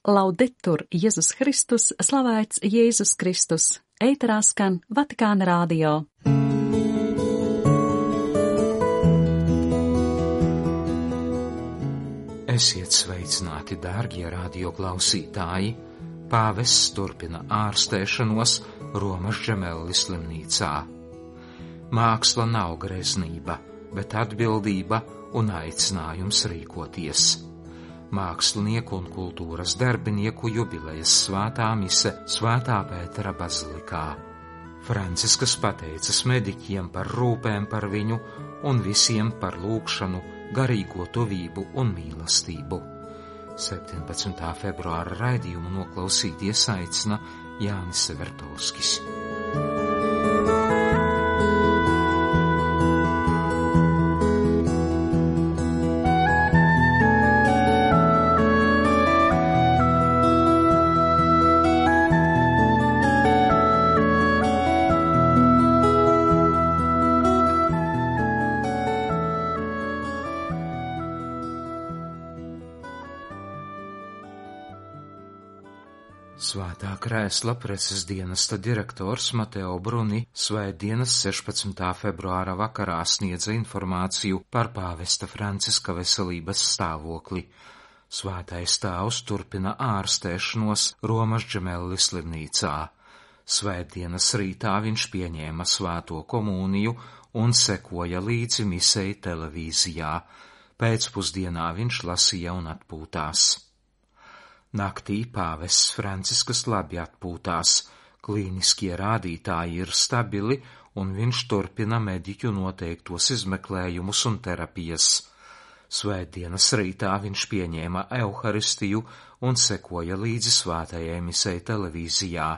Laudetur Jēzus Kristus, slavēts Jēzus Kristus, ēterā skan Vatikāna radio. Esiet sveicināti, dārgie radioklausītāji! Pāvests turpina ārstēšanos Romas Džemelli slimnīcā. Māksla nav greznība, bet atbildība un aicinājums rīkoties. Mākslinieku un kultūras darbinieku jubilejas svētā mise Svētā Pētera bazilikā. Franciskas pateicas mediķiem par rūpēm par viņu un visiem par lūgšanu, garīgo tuvību un mīlestību. 17. februāra raidījumu noklausīties aicina Jānis Severtovskis. Svētā krēsla preses dienesta direktors Mateo Bruni svētdienas 16. februāra vakarā sniedza informāciju par pāvesta Franciska veselības stāvokli. Svētais tēvs turpina ārstēšanos Romas Džemelli slimnīcā. Svētdienas rītā viņš pieņēma svēto komuniju un sekoja līdzi misei televīzijā. Pēcpusdienā viņš lasīja un atpūtās. Naktī pāvests Franciskas labi atpūtās, klīniskie rādītāji ir stabili un viņš turpina mediķu noteiktos izmeklējumus un terapijas. Svētdienas rītā viņš pieņēma euharistiju un sekoja līdzi svētajai misei televīzijā.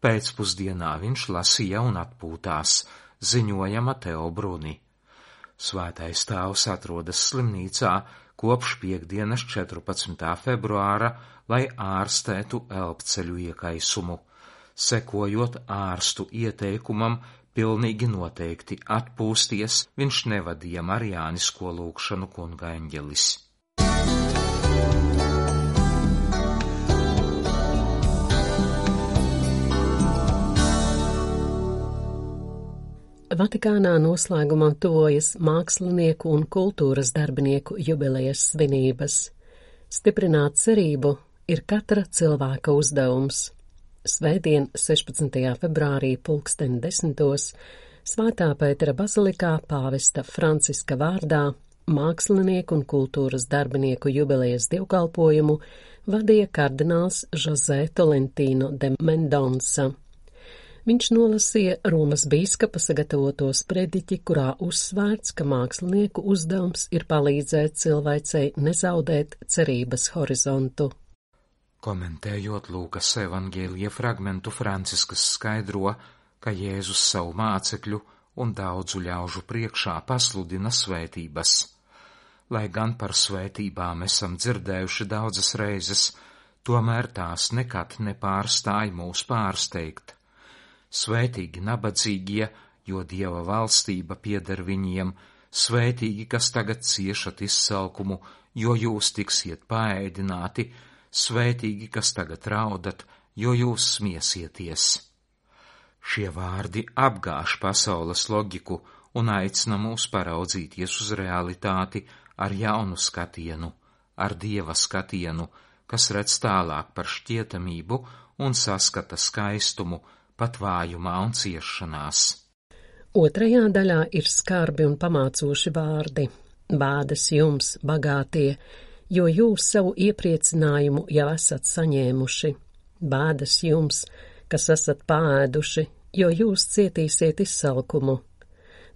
Pēcpusdienā viņš lasīja un atpūtās, ziņoja Mateo Bruni. Svētais tēvs atrodas slimnīcā kopš piektdienas 14. februāra, lai ārstētu elpceļu iekaisumu. Sekojot ārstu ieteikumam, pilnīgi noteikti atpūsties, viņš nevadīja marijānisko lūgšanu kunga eņģelis. Vatikānā noslēgumam tuvojas mākslinieku un kultūras darbinieku jubilejas svinības. Stiprināt cerību ir katra cilvēka uzdevums. Svētdien, 16. februārī 10:00 Svētā Pētera bazilikā pāvesta Franciska vārdā mākslinieku un kultūras darbinieku jubilejas dievkalpojumu vadīja kardināls José Tolentino de Mendonça. Viņš nolasīja Romas bīskapa sagatavoto sprediķi, kurā uzsvērts, ka mākslinieku uzdevums ir palīdzēt cilvēcei nezaudēt cerības horizontu. Komentējot Lūkas evaņģēlija fragmentu, Franciskas skaidro, ka Jēzus savu mācekļu un daudzu ļaužu priekšā pasludina svētības. Lai gan par svētībām esam dzirdējuši daudzas reizes, tomēr tās nekad nepārstāj mūs pārsteigt. Svētīgi nabadzīgie, jo Dieva valstība pieder viņiem, svētīgi, kas tagad ciešat izsalkumu, jo jūs tiksiet paēdināti, svētīgi, kas tagad raudat, jo jūs smiesieties. Šie vārdi apgāž pasaules loģiku un aicina mūs paraudzīties uz realitāti ar jaunu skatienu, ar Dieva skatienu, kas redz tālāk par šķietamību un saskata skaistumu, pat vājumā un ciešanās. Otrajā daļā ir skarbi un pamācoši vārdi. Bādas jums, bagātie, jo jūs savu iepriecinājumu jau esat saņēmuši. Bādas jums, kas esat paēduši, jo jūs cietīsiet izsalkumu.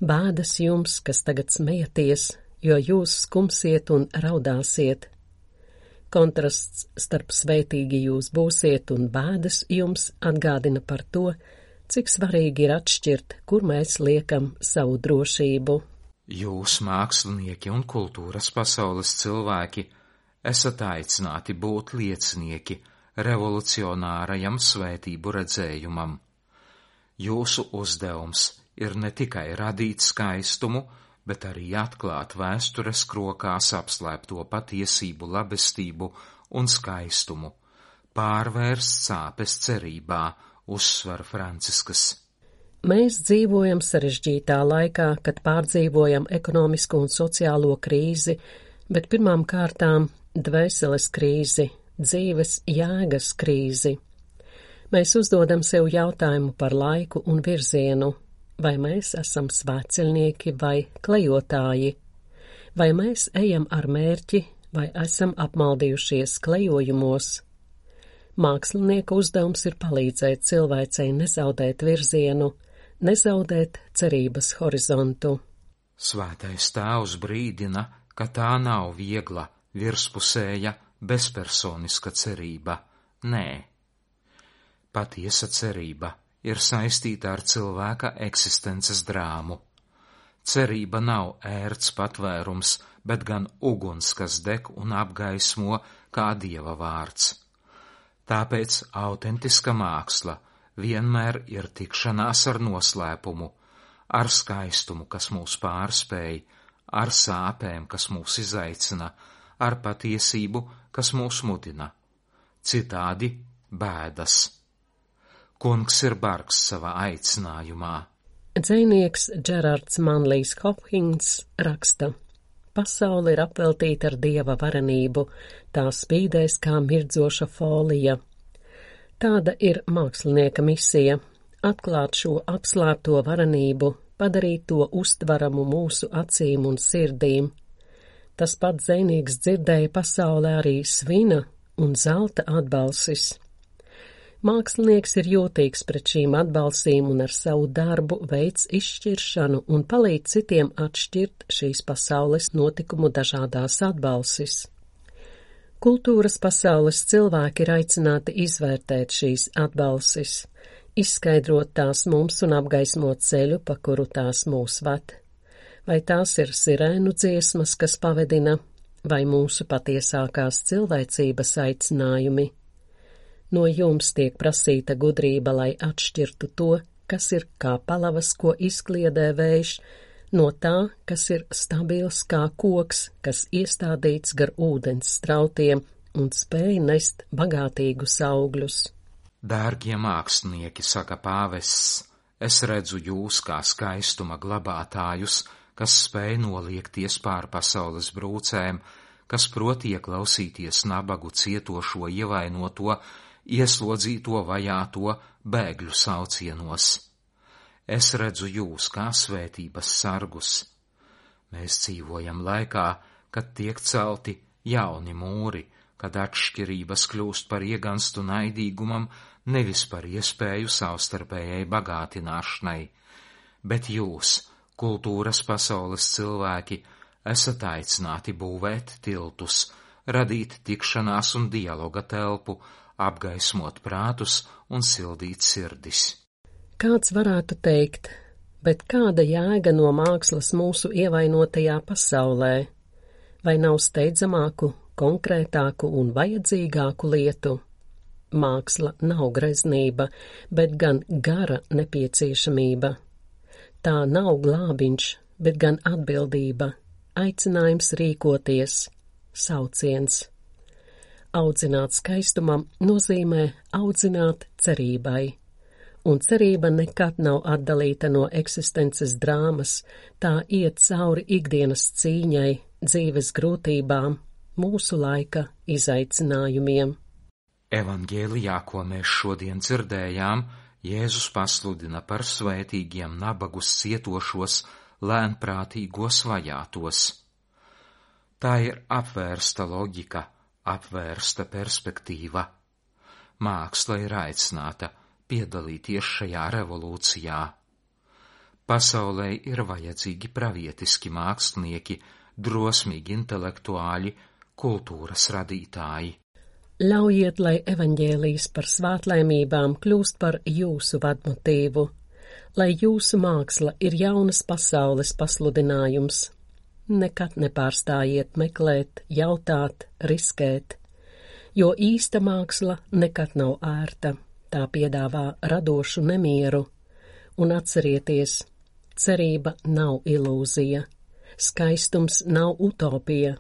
Bādas jums, kas tagad smejaties, jo jūs skumsiet un raudāsiet. Kontrasts starp svētīgi jūs būsiet un bēdas jums atgādina par to, cik svarīgi ir atšķirt, kur mēs liekam savu drošību. Jūs, mākslinieki un kultūras pasaules cilvēki, esat aicināti būt liecinieki revolucionārajam svētību redzējumam. Jūsu uzdevums ir ne tikai radīt skaistumu, bet arī atklāt vēstures krokās apslēpto patiesību, labestību un skaistumu, pārvērst sāpes cerībā, uzsver Franciskas. Mēs dzīvojam sarežģītā laikā, kad pārdzīvojam ekonomisko un sociālo krīzi, bet pirmām kārtām dvēseles krīzi, dzīves jēgas krīzi. Mēs uzdodam sev jautājumu par laiku un virzienu, vai mēs esam svētceļnieki vai klejotāji, vai mēs ejam ar mērķi, vai esam apmaldījušies klejojumos. Mākslinieka uzdevums ir palīdzēt cilvēcei nezaudēt virzienu, nezaudēt cerības horizontu. Svētais tēvs brīdina, ka tā nav viegla, virspusēja, bezpersoniska cerība. Nē. Patiesa cerība ir saistīta ar cilvēka eksistences drāmu. Cerība nav ērts patvērums, bet gan uguns, kas deg un apgaismo kā Dieva vārds. Tāpēc autentiska māksla vienmēr ir tikšanās ar noslēpumu, ar skaistumu, kas mūs pārspēj, ar sāpēm, kas mūs izaicina, ar patiesību, kas mūs mudina. Citādi bēdas. Kungs ir bargs savā aicinājumā. Dzejnieks Džerards Manlijs Hopkins raksta: Pasaule ir apveltīta ar Dieva varenību, tā spīdēs kā mirdzoša folija. Tāda ir mākslinieka misija – atklāt šo apslēpto varenību, padarīt to uztvaramu mūsu acīm un sirdīm. Tas pats dzejnieks dzirdēja pasaulē arī svina un zelta atbalsis. Mākslinieks ir jūtīgs pret šīm atbalsīm un ar savu darbu veids izšķiršanu un palīdz citiem atšķirt šīs pasaules notikumu dažādās atbalsis. Kultūras pasaules cilvēki ir aicināti izvērtēt šīs atbalsis, izskaidrot tās mums un apgaismot ceļu, pa kuru tās mūs ved. Vai tās ir sirēnu dziesmas, kas pavedina, vai mūsu patiesākās cilvēcības aicinājumi? No jums tiek prasīta gudrība, lai atšķirtu to, kas ir kā palavas, ko izkliedē vējš, no tā, kas ir stabils kā koks, kas iestādīts gar ūdens strautiem un spēj nest bagātīgus augļus. Dārgie mākslinieki, saka pāvests, es redzu jūs kā skaistuma glabātājus, kas spēj noliekties pār pasaules brūcēm, kas prot ieklausīties nabagu, cietošo, ievainoto, ieslodzīto, vajāto, bēgļu saucienos. Es redzu jūs kā svētības sargus. Mēs dzīvojam laikā, kad tiek celti jauni mūri, kad atšķirības kļūst par ieganstu naidīgumam, nevis par iespēju savstarpējai bagātināšanai, bet jūs, kultūras pasaules cilvēki, esat aicināti būvēt tiltus, radīt tikšanās un dialoga telpu, apgaismot prātus un sildīt sirdis. Kāds varētu teikt, bet kāda jēga no mākslas mūsu ievainotajā pasaulē? Vai nav steidzamāku, konkrētāku un vajadzīgāku lietu? Māksla nav greznība, bet gan gara nepieciešamība. Tā nav glābiņš, bet gan atbildība, aicinājums rīkoties, sauciens. Audzināt skaistumam nozīmē audzināt cerībai, un cerība nekad nav atdalīta no eksistences drāmas, tā iet cauri ikdienas cīņai, dzīves grūtībām, mūsu laika izaicinājumiem. Evangēlijā, ko mēs šodien dzirdējām, Jēzus pasludina par svētīgiem nabagus cietošos, lēnprātīgos vajātos. Tā ir apvērsta loģika, apvērsta perspektīva. Māksla ir aicināta piedalīties šajā revolūcijā. Pasaulē ir vajadzīgi pravietiski mākslinieki, drosmīgi intelektuāļi, kultūras radītāji. Ļaujiet, lai evaņģēlijs par svētlaimībām kļūst par jūsu vadmotīvu, lai jūsu māksla ir jaunas pasaules pasludinājums. Nekad nepārstājiet meklēt, jautāt, riskēt, jo īsta māksla nekad nav ērta, tā piedāvā radošu nemieru, un atcerieties, cerība nav ilūzija, skaistums nav utopija,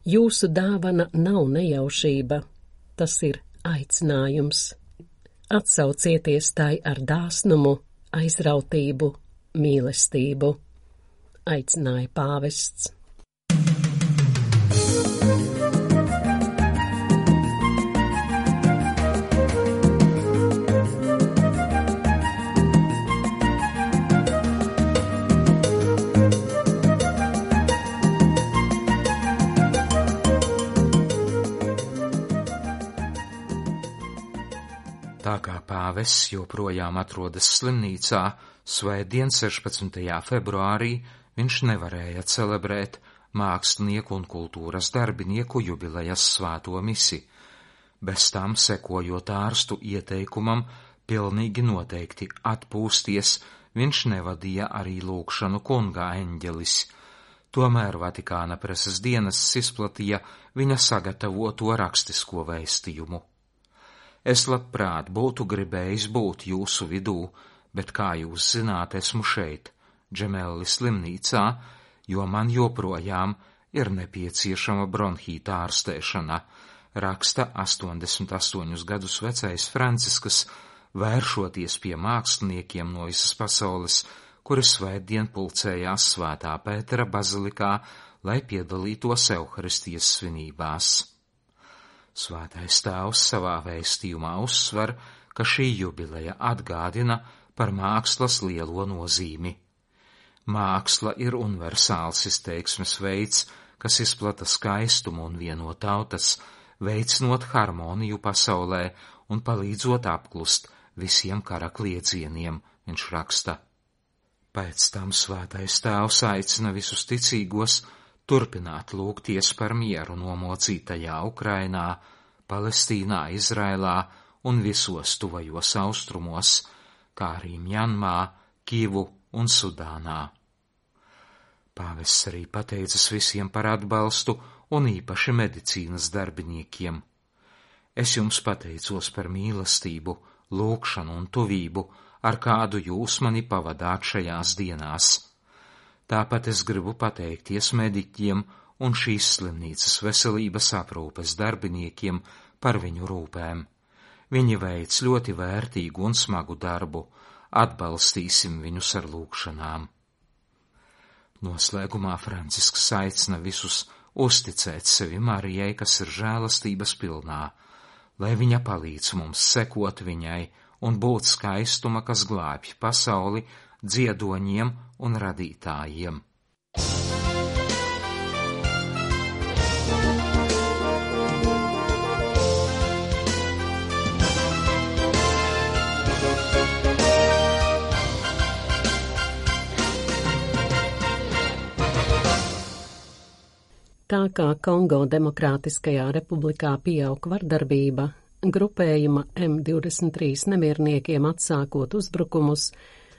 jūsu dāvana nav nejaušība, tas ir Aicinājums. Atsaucieties tai ar dāsnumu, aizrautību, mīlestību. Aicināja pāvests. Tā kā pāvests joprojām atrodas slimnīcā, svētdien 16. februārī viņš nevarēja celebrēt mākslinieku un kultūras darbinieku jubilejas svēto misi. Bez tam, sekojot ārstu ieteikumam, pilnīgi noteikti atpūsties, viņš nevadīja arī lūgšanu Kunga eņģelis. Tomēr Vatikāna preses dienests izplatīja viņa sagatavoto rakstisko vēstījumu. Es labprāt būtu gribējis būt jūsu vidū, bet, kā jūs zināt, esmu šeit, Džemelli slimnīcā, jo man joprojām ir nepieciešama bronhīta ārstēšana, raksta 88 gadus vecais Francisks, vēršoties pie māksliniekiem no visas pasaules, kuri svētdien pulcējās Svētā Pētera bazilikā, lai piedalītos Euharistijas svinībās. Svētais Tēvs savā vēstījumā uzsver, ka šī jubileja atgādina par mākslas lielo nozīmi. Māksla ir universāls izteiksmes veids, kas izplata skaistumu un vieno tautas, veicinot harmoniju pasaulē un palīdzot apklust visiem kara kliedzieniem, viņš raksta. Pēc tam Svētais Tēvs aicina visus ticīgos turpināt lūgties par mieru nomocītajā Ukrainā, Palestīnā, Izraēlā un visos tuvajos austrumos, kā arī Mjanmā, Kivu un Sudānā. Pāvests arī pateicas visiem par atbalstu un īpaši medicīnas darbiniekiem. Es jums pateicos par mīlestību, lūgšanu un tuvību, ar kādu jūs mani pavadāt šajās dienās. Tāpat es gribu pateikties mediķiem un šīs slimnīcas veselības aprūpes darbiniekiem par viņu rūpēm. Viņi veic ļoti vērtīgu un smagu darbu, atbalstīsim viņus ar lūgšanām. Noslēgumā Francisks aicina visus uzticēt sevi Marijai, kas ir žēlastības pilnā, lai viņa palīdz mums sekot viņai un būt skaistuma, kas glābj pasauli, dziedoņiem un radītājiem. Tā kā Kongo Demokrātiskajā republikā pieaug vardarbība, grupējuma M23 nemierniekiem atsākot uzbrukumus,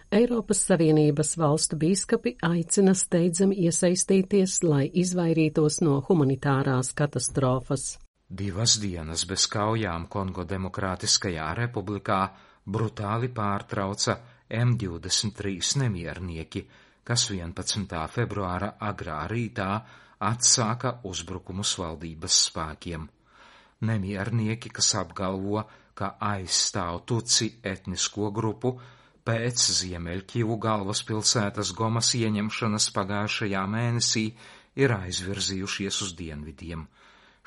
Eiropas Savienības valstu bīskapi aicina steidzami iesaistīties, lai izvairītos no humanitārās katastrofas. 2 dienas bez kaujām Kongo Demokrātiskajā republikā brutāli pārtrauca M23 nemiernieki, kas 11. februāra agrā rītā atsāka uzbrukumus valdības spēkiem. Nemiernieki, kas apgalvo, ka aizstāv Tutsi etnisko grupu, pēc Ziemeļkivu galvaspilsētas Gomas ieņemšanas pagājušajā mēnesī ir aizvirzījušies uz dienvidiem.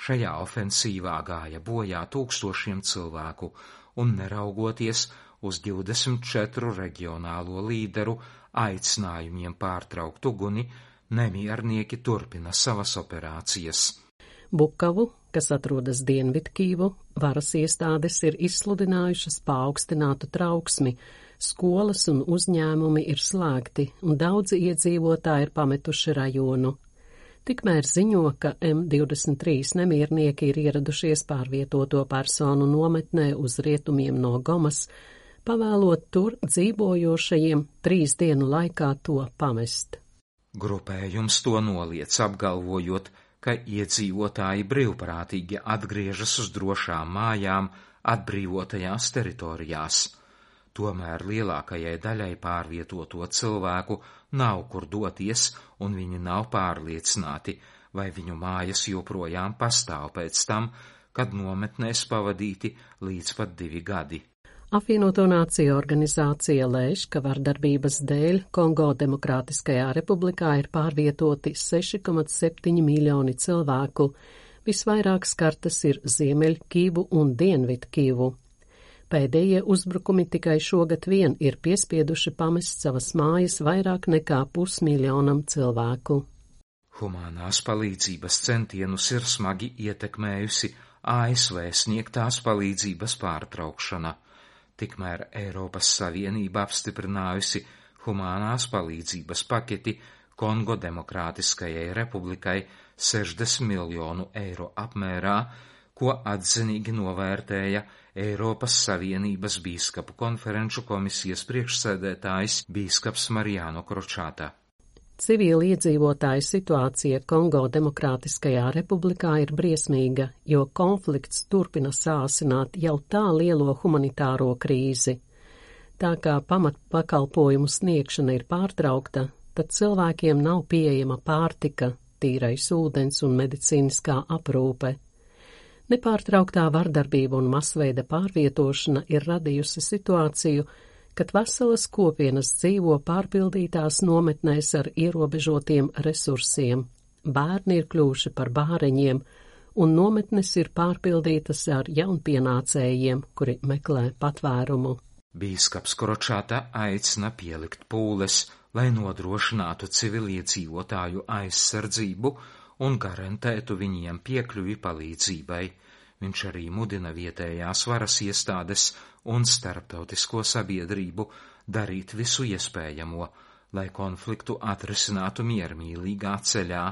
Šajā ofensīvā gāja bojā tūkstošiem cilvēku, un neraugoties uz 24 reģionālo līderu aicinājumiem pārtraukt uguni, nemiernieki turpina savas operācijas. Bukavu, kas atrodas Dienvidkivu, varas iestādes ir izsludinājušas paaugstinātu trauksmi, skolas un uzņēmumi ir slēgti, un daudzi iedzīvotāji ir pametuši rajonu. Tikmēr ziņo, ka M23 nemiernieki ir ieradušies pārvietoto personu nometnē uz rietumiem no Gomas, pavēlot tur dzīvojošajiem 3 dienu laikā to pamest. Grupējums to noliedz, apgalvojot, ka iedzīvotāji brīvprātīgi atgriežas uz drošām mājām atbrīvotajās teritorijās. Tomēr lielākajai daļai pārvietoto cilvēku nav kur doties, un viņi nav pārliecināti, vai viņu mājas joprojām pastāv pēc tam, kad nometnēs pavadīti līdz pat 2 gadi. Apvienoto Nāciju organizācija lēš, ka vardarbības dēļ Kongo Demokrātiskajā republikā ir pārvietoti 6,7 miljoni cilvēku. Visvairāk skartas ir Ziemeļkivu un Dienvidkivu. Pēdējie uzbrukumi tikai šogad vien ir piespieduši pamest savas mājas vairāk nekā 500 000 cilvēku. Humānās palīdzības centienus ir smagi ietekmējusi ASV sniegtās palīdzības pārtraukšana. Tikmēr Eiropas Savienība apstiprinājusi humānās palīdzības paketi Kongo Demokrātiskajai republikai 60 miljonu eiro apmērā, ko atzinīgi novērtēja Eiropas Savienības bīskapu konferenču komisijas priekšsēdētājs bīskaps Mariano Kročāta. Civili iedzīvotāju situācija Kongo Demokrātiskajā republikā ir briesmīga, jo konflikts turpina sāsināt jau tā lielo humanitāro krīzi. Tā kā pamatpakalpojumu sniegšana ir pārtraukta, tad cilvēkiem nav pieejama pārtika, tīrais ūdens un medicīniskā aprūpe. Nepārtrauktā vardarbība un masveida pārvietošana ir radījusi situāciju, kad veselas kopienas dzīvo pārpildītās nometnēs ar ierobežotiem resursiem. Bērni ir kļuvuši par bāreņiem, un nometnes ir pārpildītas ar jaunpienācējiem, kuri meklē patvērumu. Bīskaps Kročāta aicina pielikt pūles, lai nodrošinātu civiliedzīvotāju aizsardzību un garantētu viņiem piekļuvi palīdzībai. Viņš arī mudina vietējās varas iestādes un starptautisko sabiedrību darīt visu iespējamo, lai konfliktu atrisinātu miermīlīgā ceļā,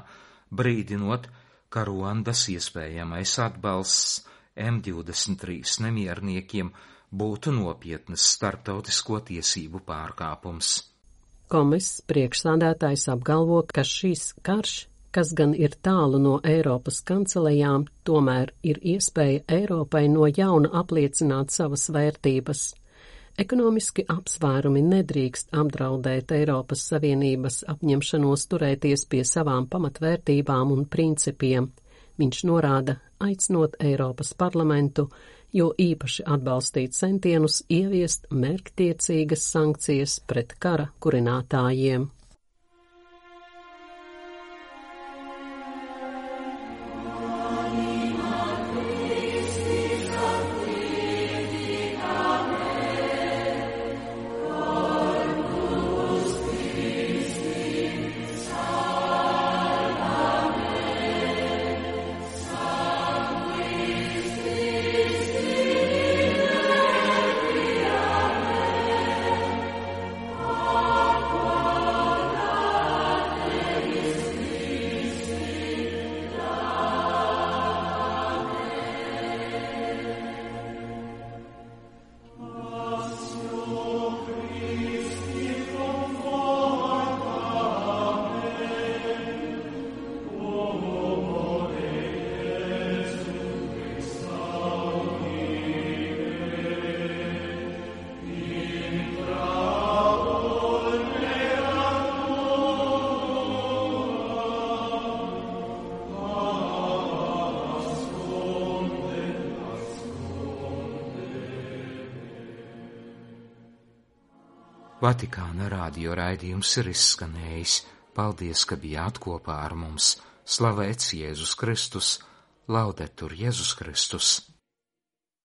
brīdinot, ka Ruandas iespējamais atbalsts M23 nemierniekiem būtu nopietnas starptautisko tiesību pārkāpums. Komis priekšsādātājs apgalvo, ka šīs karš, kas gan ir tālu no Eiropas kancelējām, tomēr ir iespēja Eiropai no jauna apliecināt savas vērtības. Ekonomiski apsvērumi nedrīkst apdraudēt Eiropas Savienības apņemšanos turēties pie savām pamatvērtībām un principiem. Viņš norāda, aicinot Eiropas parlamentu, jo īpaši atbalstīt centienus ieviest mērķtiecīgas sankcijas pret kara kurinātājiem. Vatikāna radio raidījums ir izskanējis. Paldies, ka bijāt kopā ar mums. Slavēts Jēzus Kristus, laudetur Jēzus Kristus.